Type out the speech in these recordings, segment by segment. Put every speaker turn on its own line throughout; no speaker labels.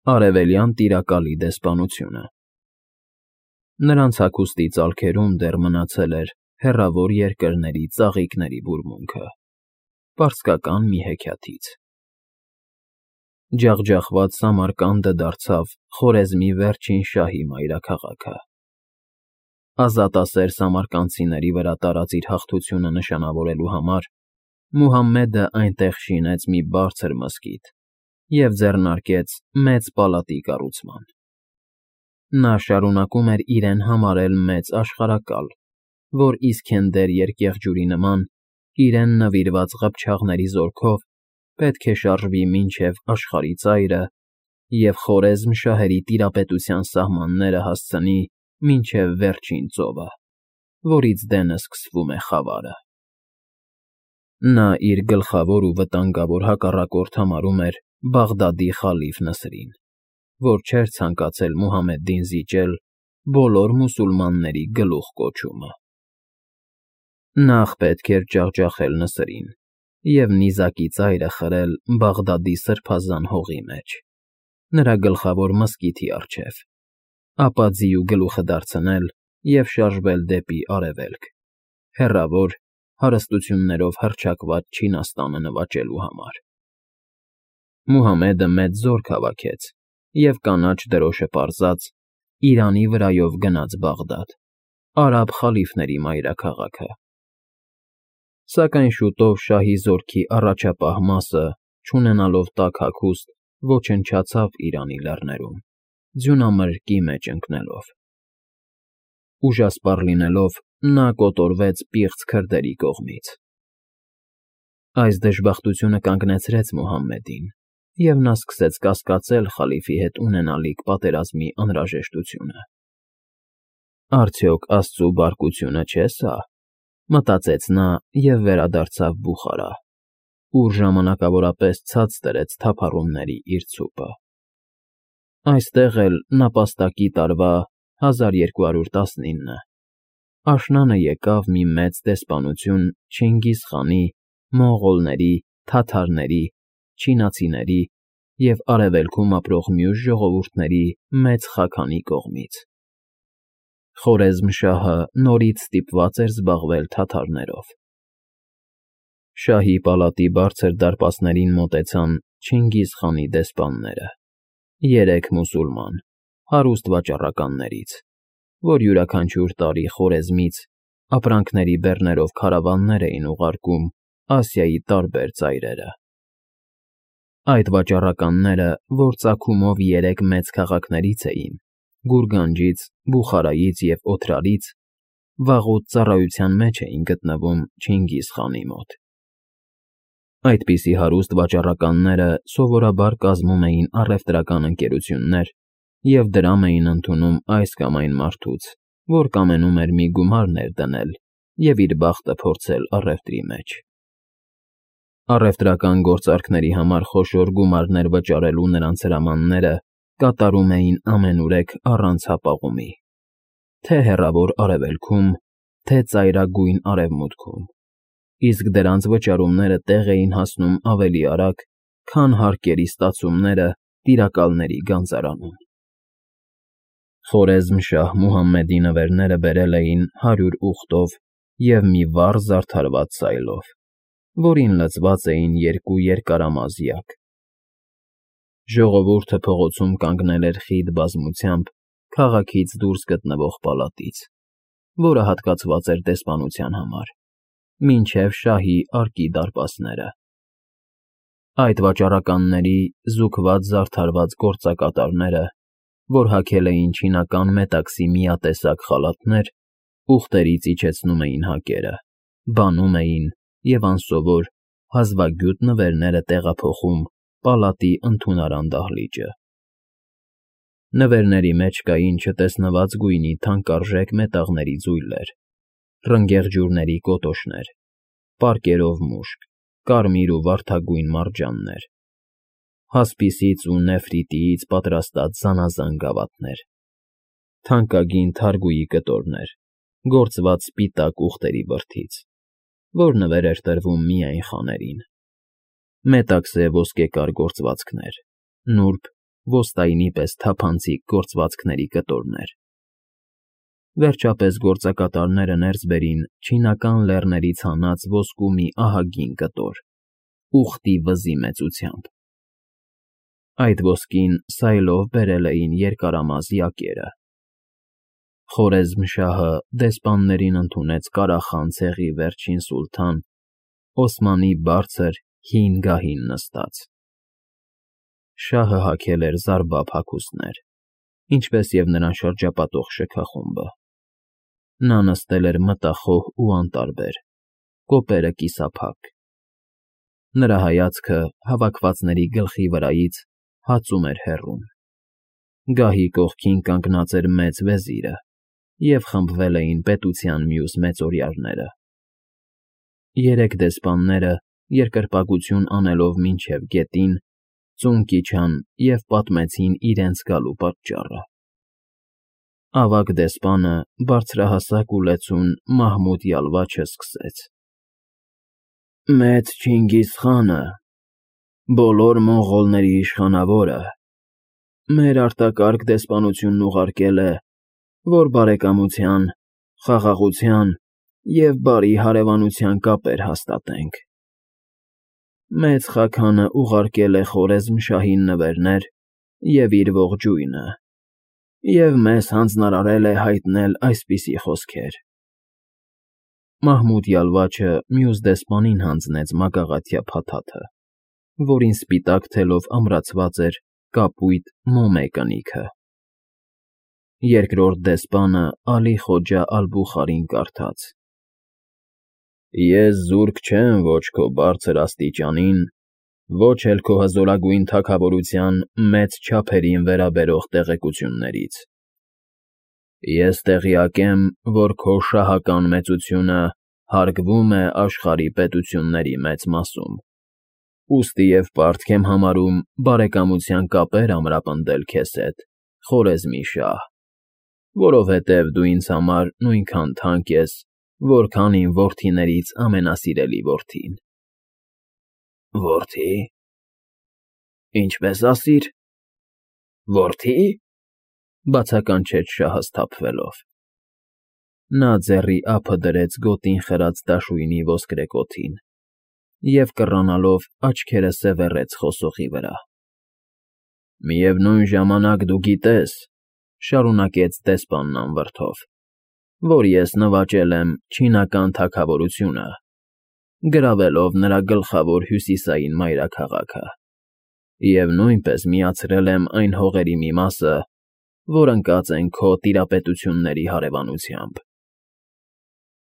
Արևելյան տիրակալի դեսպանությունը։ Նրանց հագուստի ծալքերում դեռ մնացել էր հեռավոր երկրների ծաղիկների բուրմունքը, պարսկական մի հեքիաթից։ Ջախջախված Սամարկանդը դարձավ Խորեզմի վերջին շահի մայրաքաղաքը։ Ազատասեր սամարկանդցիների վրա տարած իր հաղթությունը նշանավորելու համար Մուհամմեդը այնտեղ շինեց մի բարձր մզկիթ և ձեռնարկեց մեծ պալատի կառուցման։ Նա շարունակում էր իրեն համարել մեծ աշխարհակալ, որ Իսքենդեր երկեղջյուրի նման իրեն նվիրված ղփչաղների զորքով պետք է շարժվի մինչև աշխարհի ծայրը և Խորեզմ շահերի տիրապետության սահմանները հասցնի մինչև վերջին ծովը, որից դենը սկսվում է խավարը։ Նա իր գլխավոր ու վտանգավոր հակառակորդ համարում էր Բաղդադի խալիֆ Նսրին, որ չէր ցանկացել Մուհամեդին զիջել բոլոր մուսուլմանների գլուխկոչումը։ Նախ պետք էր ջախջախել Նսրին և նիզակի ծայրը խրել Բաղդադի սրբազան հողի մեջ, նրա գլխավոր մզկիթի առջև, ապա ձիու գլուխը դարձնել և շարժվել դեպի արևելք, հեռավոր, հարստություններով հռչակված Չինաստանը նվաճելու համար։ Մուհամեդը մեծ զորք հավաքեց և կանաչ դրոշը պարզած Իրանի վրայով գնաց Բաղդադ, արաբ խալիֆների մայրաքաղաքը։ Սակայն շուտով շահի զորքի առաջապահ մասը, չունենալով տաք հագուստ, ոչնչացավ Իրանի լեռներում, ձյունամրրկի մեջ ընկնելով։ Ուժասպառ լինելով, նա կոտորվեց պիղծ քրդերի կողմից։ Այս դժբախտությունը կանգնեցրեց Մուհամմեդին, և նա սկսեց կասկածել խալիֆի հետ ունենալիք պատերազմի անհրաժեշտությունը։ «Արդյոք աստծու բարկությունը չէ՞ սա», մտածեց նա և վերադարձավ Բուխարա, ուր ժամանակավորապես ցած դրեց թափառումների իր ցուպը։ Այստեղ էլ նապաստակի տարվա 1219 աշնանը եկավ մի մեծ դեսպանություն Չինգիզ խանի, մոնղոլների, թաթարների, չինացիների և արևելքում ապրող մյուս ժողովուրդների մեծ խաքանի կողմից։ Խորեզմշահը նորից ստիպված էր զբաղվել թաթարներով։ Շահի պալատի բարձր դարպասներին մոտեցան Չինգիզ խանի դեսպանները, 3 մուսուլման, հարուստ վաճառականներից, որ յուրաքանչյուր տարի Խորեզմից ապրանքների բեռներով քարավաններ էին ուղարկում Ասիայի տարբեր ծայրերը։ Այդ վաճառականները, որ ծագումով 3 մեծ քաղաքներից էին՝ Գուրգանջից, Բուխարայից և Օթրարից, վաղուց ծառայության մեջ էին գտնվում Չինգիզ խանի մոտ։ Այդպիսի հարուստ վաճառականները սովորաբար կազմում էին առևտրական ընկերություններ և դրամ էին ընդունում այս կամ այն մարդուց, որ կամենում էր մի գումար ներդնել և իր բախտը փորձել առևտրի մեջ։ Առևտրական գործարքների համար խոշոր գումարներ վճարելու նրանց հրամանները կատարում էին ամենուրեք առանց հապաղումի, թե հեռավոր Արևելքում, թե ծայրագույն Արևմուտքում, իսկ դրանց վճարումները տեղ էին հասնում ավելի արագ, քան հարկերի ստացումները տիրակալների գանձարանում։ Խորեզմշահ Մուհամմեդի նվերները բերել էին 100 ուղտով և մի վառ զարդարված սայլով, որին լցված էին 2 երկարամազ յակ։ Ժողովուրդը փողոցում կանգնել էր խիտ բազմությամբ քաղաքից դուրս գտնվող պալատից, որը հատկացված էր դեսպանության համար, մինչև շահի արկի դարպասները։ Այդ վաճառականների զուգված զարդարված գործակատարները, որ հագել էին չինական մետաքսի միատեսակ խալաթներ, ուղտերից իջեցնում էին հակերը, բանում էին և անսովոր, հազվագյուտ նվերները տեղափոխում պալատի ընդունարան դահլիճը։ Նվերների մեջ կային չտեսնված գույնի թանկարժեք մետաղների ձույլեր, ռնգեղջյուրների կոտոշներ, պարկերով մուշկ, կարմիր ու վարդագույն մարջաններ, հասպիսից ու նեֆրիտիից պատրաստած զանազան գավաթներ, թանկագին թարգուի կտորներ, գործված սպիտակ ուղտերի բրդից, որ նվեր էր տրվում միայն խաներին, մետաքսե ոսկեկար գործվածքներ, նուրբ, ոստայինի պես թափանցիկ գործվածքների կտորներ։ Վերջապես գործակատարները ներս բերին չինական լեռներից հանած ոսկու մի ահագին կտոր, ուխտի վզի մեծությամբ։ Այդ ոսկին սայլով բերել էին երկարամազ յակերը։ Խորեզմշահը դեսպաններին ընդունեց Կարախան ցեղի վերջին սուլթան Օսմանի բարձր հին գահին նստած։ Շահը հագել էր զարբափ հագուստներ, ինչպես և նրան շրջապատող շքախումբը։ Նա նստել էր մտախոհ ու անտարբեր, կոպերը կիսափակ։ Նրա հայացքը հավաքվածների գլխի վրայից հածում էր հեռուն։ Գահի կողքին կանգնած էր մեծ վեզիրը, և խմբվել էին պետության մյուս մեծօրյաները։ Երեք դեսպանները, երկրպագություն անելով մինչև գետին, ծունկ իջան և պատմեցին իրենց գալու պատճառը։ Ավագ դեսպանը, բարձրահասակ ու լեցուն Մահմուդ Յալվաչը սկսեց. Մեծ Չինգիզ խանը, բոլոր մոնղոլների իշխանավորը, մեր արտակարգ դեսպանությունն ուղարկել է, որ բարեկամության, խաղաղության և բարի հարևանության կապեր հաստատենք։ Մեծ Խաքանը ուղարկել է Խորեզմշահին նվերներ և իր ողջույնը, և մեզ հանձնարարել է հայտնել այսպիսի խոսքեր։ Մահմուդ Յալվաչը մյուս դեսպանին հանձնեց մագաղաթյա փաթաթը, որին սպիտակ թելով ամրացված էր կապույտ մոմե կնիքը։ Երկրորդ դեսպանը Ալի Խոջա Ալ֊Բուխարին կարդաց. Ես զուրկ չեմ ոչ քո բարձր աստիճանին, ոչ էլ քո հզորագույն թագավորության մեծ չափերին վերաբերող տեղեկություններից։ Ես տեղյակ եմ, որ քո շահական մեծությունը հարգվում է աշխարհի պետությունների մեծ մասում, ուստի և պարտք եմ համարում բարեկամության կապեր ամրապնդել քեզ հետ, Խորեզմի շահ, որովհետև դու ինձ համար նույնքան թանկ ես, որքան իմ որդիներից ամենասիրելի որդին։ Որդի… Ինչպես ասիր… Որդի… Բացականչեց շահը սթափվելով։ Նա ձեռի ափը դրեց գոտին խրած դաշույնի ոսկրեկոթին և, կռանալով, աչքերը սևեռեց խոսողի վրա։ Միևնույն ժամանակ դու գիտես, շարունակեց դեսպանն անվրդով, որ ես նվաճել եմ չինական թագավորությունը, գրավելով նրա գլխավոր հյուսիսային մայրաքաղաքը, և նույնպես միացրել եմ այն հողերի մի մասը, որ ընկած են քո տիրապետությունների հարևանությամբ։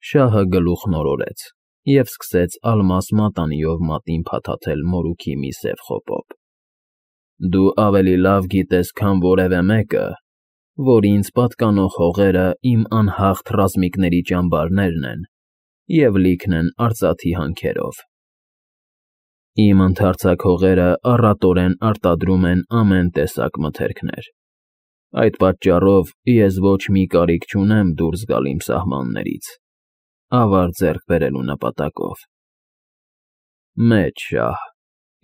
Շահը գլուխն օրորեց և սկսեց ալմաս մատանիով մատին փաթաթել մորուքի մի սև խոպոպ։ Դու ավելի լավ գիտես, քան որևէ մեկը, որ ինձ պատկանող հողերը իմ անհաղթ ռազմիկների ճամբարներն են և լիքն են արծաթի հանքերով։ Իմ ընդարձակ հողերը առատորեն արտադրում են ամեն տեսակ մթերքներ։ Այդ պատճառով ես ոչ մի կարիք չունեմ դուրս գալ իմ սահմաններից, ավար ձեռք բերելու նպատակով։ Մեծ շահ,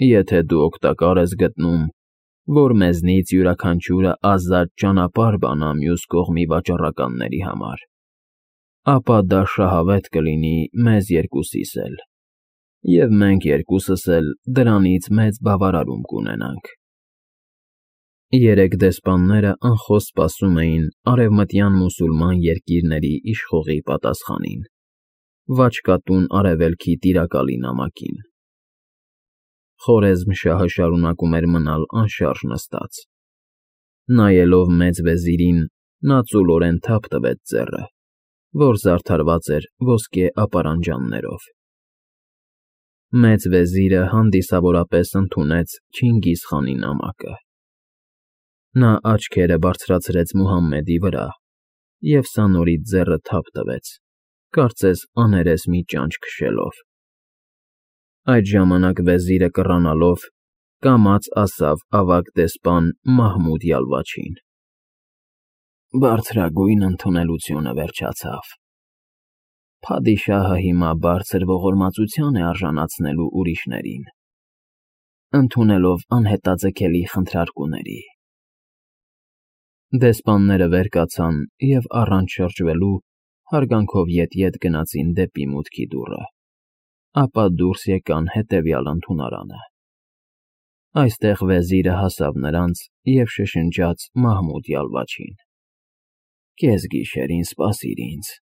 եթե դու օգտակար ես գտնում, որ մեզնից յուրաքանչյուրը ազատ ճանապարհ բանա մյուս կողմի վաճառականների համար, ապա դա շահավետ կլինի մեզ երկուսիս էլ, և մենք երկուսս էլ դրանից մեծ բավարարում կունենանք։ Երեք դեսպանները անխոս սպասում էին արևմտյան մուսուլման երկիրների իշխողի պատասխանին, Վաչկատուն արևելքի տիրակալի նամակին։ Խորեզմշահը շարունակում էր մնալ անշարժ նստած։ Նայելով մեծ վեզիրին, նա ծուլորեն թափ տվեց ձեռը, որ զարդարված էր ոսկե ապարանջաններով։ Մեծ վեզիրը հանդիսավորապես ընդունեց Չինգիզ խանի նամակը։ Նա աչքերը բարձրացրեց Մուհամմեդի վրա և սա նորից ձեռը թափ տվեց, կարծես աներես մի ճանճ քշելով։ Այդ ժամանակ վեզիրը կռանալով, կամաց ասավ ավագ դեսպան Մահմուդ Յալվաչին. Բարձրագույն ընդունելությունը վերջացավ։ Փադիշահը հիմա բարձր ողորմածության է արժանացնելու ուրիշներին, ընդունելով անհետաձգելի խնդրարկուների։ Դեսպանները վեր կացան և առանց շրջվելու հարգանքով ետ գնացին դեպի մուտքի դուռը, ապա դուրս եկան հետևյալ ընդունարանը։ Այստեղ վեզիրը հասավ նրանց և շշնջաց մահմուդյալ ոճին. «Կեսգիշերին սպասիր ինձ»։